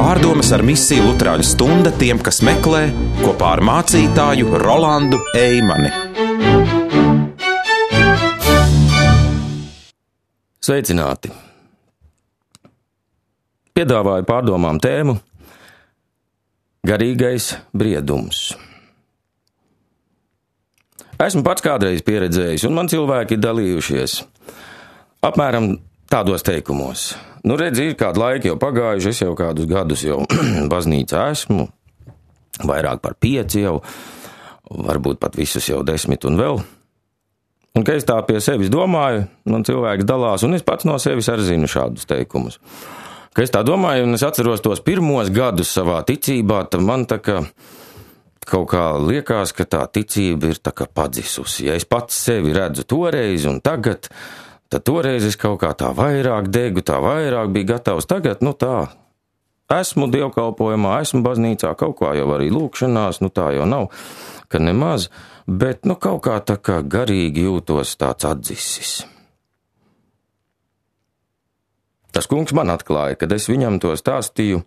Pārdomas ar misiju Luterāņu stunda tiem, kas meklē, kopā ar mācītāju Rolandu Eimani. Sveicināti! Piedāvāju pārdomām tēmu Garīgais briedums. Esmu pats kādreiz pieredzējis, un man cilvēki ir dalījušies apmēram tādos teikumos. Redzi, ir kādu laiku jau pagājuši, es jau kādus gadus jau baznīcā esmu, vairāk par 5 jau, varbūt pat visus jau 10 un vēl. Un, ka es tā pie sevis domāju, man cilvēks dalās, un es pats no sevis arī zinu šādus teikumus. Ka es tā domāju, un es atceros tos pirmos gadus savā ticībā, tad man tā kā kaut kā liekas, ka tā ticība ir tā kā padzisusi. Ja es pats sevi redzu toreiz un tagad, tad toreiz es kaut kā tā vairāk degu, tā vairāk biju gatavs. Tagad, tā, esmu dievkalpojumā, esmu baznīcā, kaut kā jau arī lūkšanās, tā jau nav, ka nemaz, bet, kaut kā tā kā garīgi jūtos tāds atdzisis. Tas kungs man atklāja, kad es viņam to stāstīju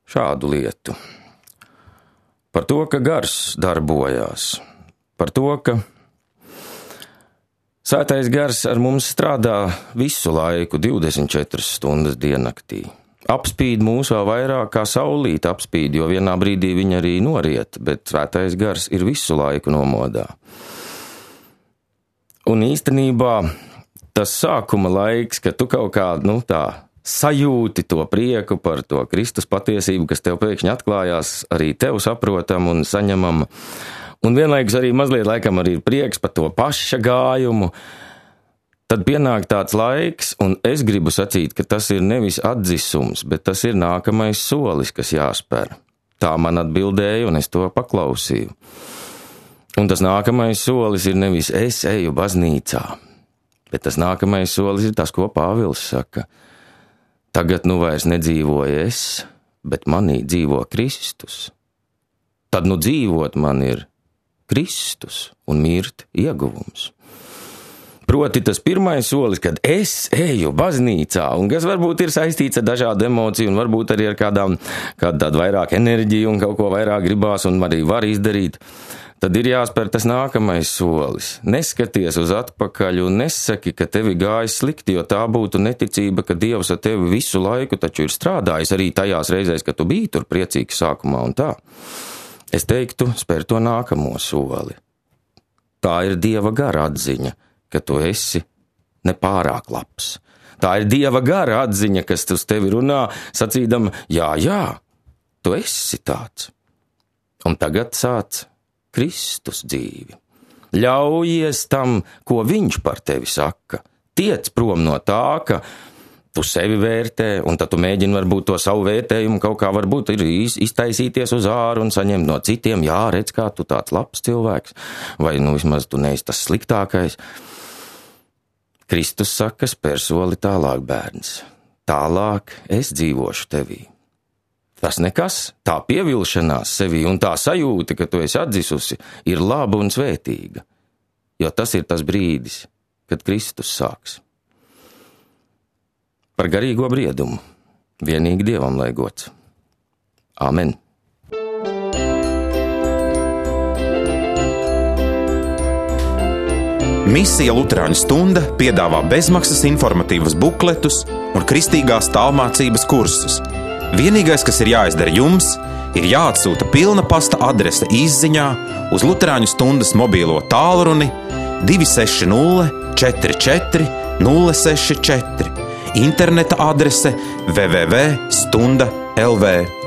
šādu lietu. Par to, ka gars darbojās, par to, ka Svētais gars ar mums strādā visu laiku, 24 stundas diennaktī. Apspīd mūs vēl vairāk kā saulīte apspīd, jo vienā brīdī viņa arī noriet, bet Svētais gars ir visu laiku nomodā. Un īstenībā tas sākuma laiks, kad tu kaut kā, tā sajūti to prieku par to Kristus patiesību, kas tev pēkšņi atklājās, arī tev saprotam un saņemam. Un vienlaikus arī mazliet laikam arī ir prieks par to paša gājumu. Tad pienāk tāds laiks, un es gribu sacīt, ka tas ir nevis atdzisums, bet tas ir nākamais solis, kas jāspēr. Tā man atbildēja, un es to paklausīju. Un tas nākamais solis ir nevis es eju baznīcā, bet tas nākamais solis ir tas, ko Pāvils saka. Tagad vairs nedzīvoju es, bet manī dzīvo Kristus. Tad dzīvot man ir Kristus un mirt ieguvums. Proti tas pirmais solis, kad es eju baznīcā, un kas varbūt ir saistīts ar dažādu emociju, un varbūt arī ar kādu vairāk enerģiju, un kaut ko vairāk gribās, un arī var izdarīt, tad ir jāspēr tas nākamais solis. Neskaties uz atpakaļ un nesaki, ka tevi gājis slikti, jo tā būtu neticība, ka Dievs ar tevi visu laiku taču ir strādājis arī tajās reizēs, kad tu biji tur priecīgs sākumā un tā. Es teiktu, spēr to nākamo soli. Tā ir Dieva gara atziņa, ka tu esi nepārāk labs. Tā ir Dieva gara atziņa, kas uz tevi runā, sacīdama, jā, tu esi tāds. Un tagad sāc Kristus dzīvi. Ļaujies tam, ko viņš par tevi saka. Tiec prom no tā, ka tu sevi vērtē, un tad tu mēģini varbūt to savu vērtējumu kaut kā varbūt ir iztaisīties uz āru un saņemt no citiem, jā, redz, kā tu tāds labs cilvēks, vai vismaz tu neesi tas sliktākais. Kristus saka, spēr soli tālāk, bērns. Tālāk es dzīvošu tevī. Tas nekas, tā pievilšanās sevī un tā sajūta, ka tu esi atdzisusi, ir laba un svētīga, jo tas ir tas brīdis, kad Kristus sāks. Par garīgo briedumu vienīgi Dievam lai gods. Āmen. Misija Luterāņu stunda piedāvā bezmaksas informatīvus bukletus un kristīgās tālmācības kursus. Vienīgais, kas ir jāizdara jums, ir jāatsūta pilna pasta adrese izziņā uz Luterāņu stundas mobīlo tālruni 260 44 064, interneta adrese www.stunda.lv.